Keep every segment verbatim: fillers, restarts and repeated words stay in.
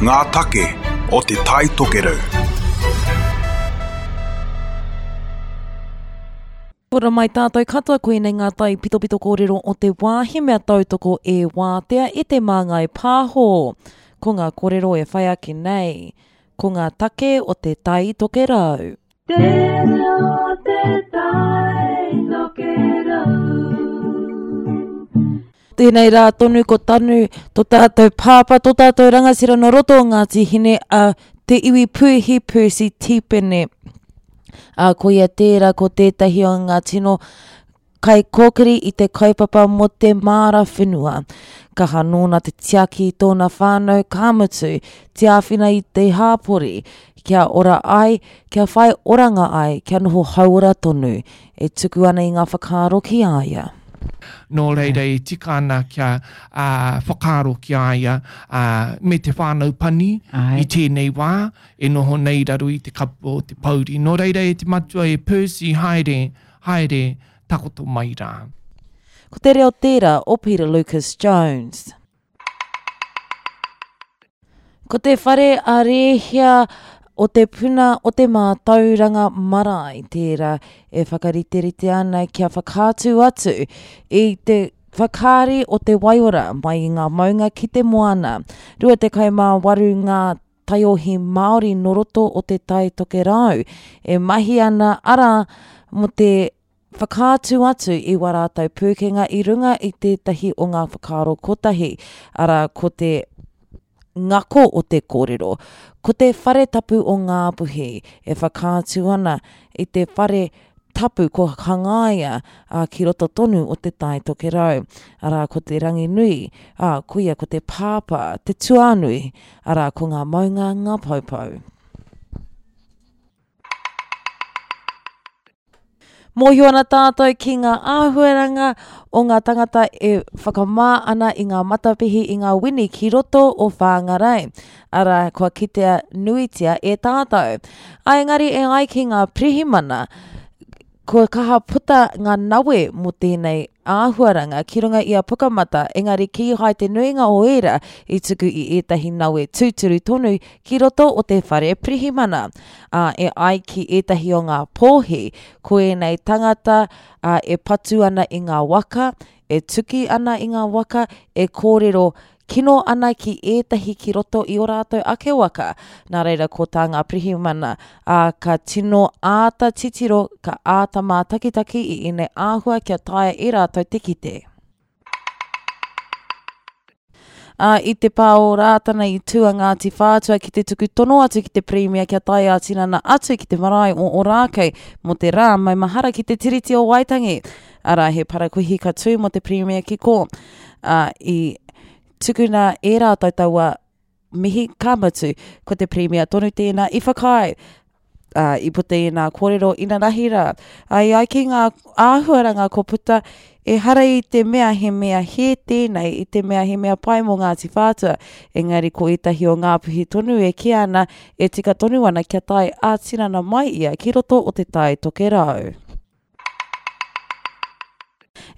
Ngā take o Te Tai Tokerau. Ora mai tātou katoa, koinei ngā tai pitopito kōrero o te wā, he mea tautoko e wātea e te Māngai Pāho. Ko ngā kōrero e whai ake nei, ko ngā take o Te Tai Tokerau. Te reo te tai tokerau. Tēnei rā tonu ko Tanu, tō tātou pāpā, tō tātou rangatira nō roto o Ngāti Hine a Te Iwi Puihi Percy Tipene. Ā, koia tērā ko tētahi o ngā tino kaikōkiri i te kaupapa mō te māra whenua. Kaha nōna te tiaki i tōna whānau, ka mutu, te āwhina i te hāpori, kia ora ai, kia whai oranga ai, kia noho hauora tonu, e tuku ana i ngā whakaaro ki a ia. Nō reira e tika ana kia uh, whakaaro ki a ia uh, me te whānau pani Ai. i tēnei wā e noho nei raro i te kapu o te pouri. Nō reira e te matua e Percy, haere, haere, takoto mai rā. Ko te reo tērā o Peter Lucas Jones. Ko te whare a Rēhia o te puna o te mātauranga marae tērā e whakariterite ana kia whakaatu atu i te whakaari o te waiora mai i ngā maunga ki te moana. Rua tekau mā waru ngā taiohi Māori nō roto o te Tai Tokerau e mahi ana ara mō te whakaatu atu i wā rātou pūkenga i runga i tētahi o ngā whakaaro kotahi, arā ko te ngako o te kōrero. Ko te whare tapu o Ngāpuhi e whakaatu ana i te whare tapu ko hangaia a, ki roto tonu o te Tai Tokerau. Arā ko te Ranginui, ā, koia ko te Pāpā, te Tuānui, arā ko ngā maunga ngā poupou. Mōhio ana tātou ki ngā āhuaranga o ngā tangata e whakamā ana i ngā matapihi i ngā wini ki roto o Whāngarei. Arā, kua kitea nuitia e tātou. Ā, engari e ai ki ngā pirihimana, kua kaha puta ngā nawe mō tēnei āhuaranga ki runga i a Pukamata, engari kīhai te nuinga o ērā i tuku i ētahi nawe tūturu tonu ki roto o te whare pirihimana. Ā, e ai ki ētahi o ngā pōhi, ko ēnei tangata ā, e patu ana i ngā waka, e tuki ana i ngā waka, e kōrero kino ana ki ētahi ki roto i o rātou ake waka. Nā reira ko tā ngā pirihimana, ā, ka tino āta titiro, ka āta mātakitaki i ēnei āhua kia taea e rātou te kite. Ā, i te pā o Rātana i tū a Ngāti Whātua ki te tuku tono atu ki te Pirimia kia tae ā-tinana atu ki te marae o Ōrākei mō te rā maumahara ki te Tiriti o Waitangi. Arā, he parakuihi ka tū mō te Pirimia ki kō. Ā, i tukuna e rātou taua mihi ka mutu, ko te Pirimia tonu tēnā i whakaae. Ā, i puta i ngā kōrero inanahi rā. Ā, i ai ki ngā āhuaranga ko puta, ehara i te mea he mea hē tēnei, i te mea he mea pai mō Ngāti Whātua, engari ko ētahi o Ngāpuhi tonu e kī ana, e tika tonu ana kia tae ā-tinana mai ia ki roto o te Tai Tokerau.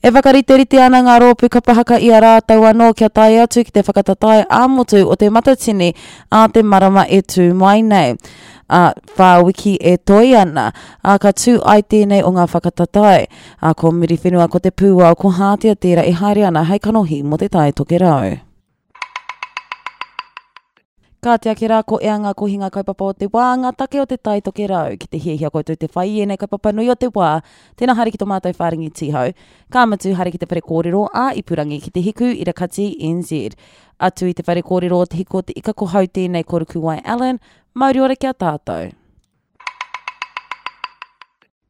E whakariterite ana ngā rōpū kapa haka i a rātou anō kia tae atu ki te whakatatae ā-motu o te Matatini ā te marama e tū mai nei. Ā, whā wiki e toe ana, ā, ka tū ai tēnei o ngā whakatatae. Ā, ko Muriwhenua, ko Te Pūao, ko Hātea tērā e haere ana hei kanohi mō te Tai Tokerau. Kāti ake rā ko ea ngā kohinga kaupapa o te wā, ngā take o te Tai Tokerau. Ki te hiahia koutou te whai i ēnei kaupapa nui o te wā, tēnā haere ki tō mātou whārangi tīhau. Ka mutu haere ki te whare kōrero ā ipurangi ki te Hiku Irakati N Z. Atu i te whare kōrero o Te Hiku o Te Ika ko hau tēnei ko Rukuwai Allen, mauri ora ki a tātou.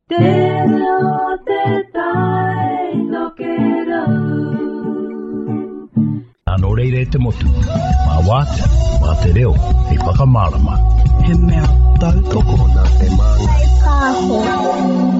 Te reo te Tai Tokerau. Nō reira e te motu, mā wātea, mā te reo, hei whakamārama. He mea tautoko nā te Māngai Pāho.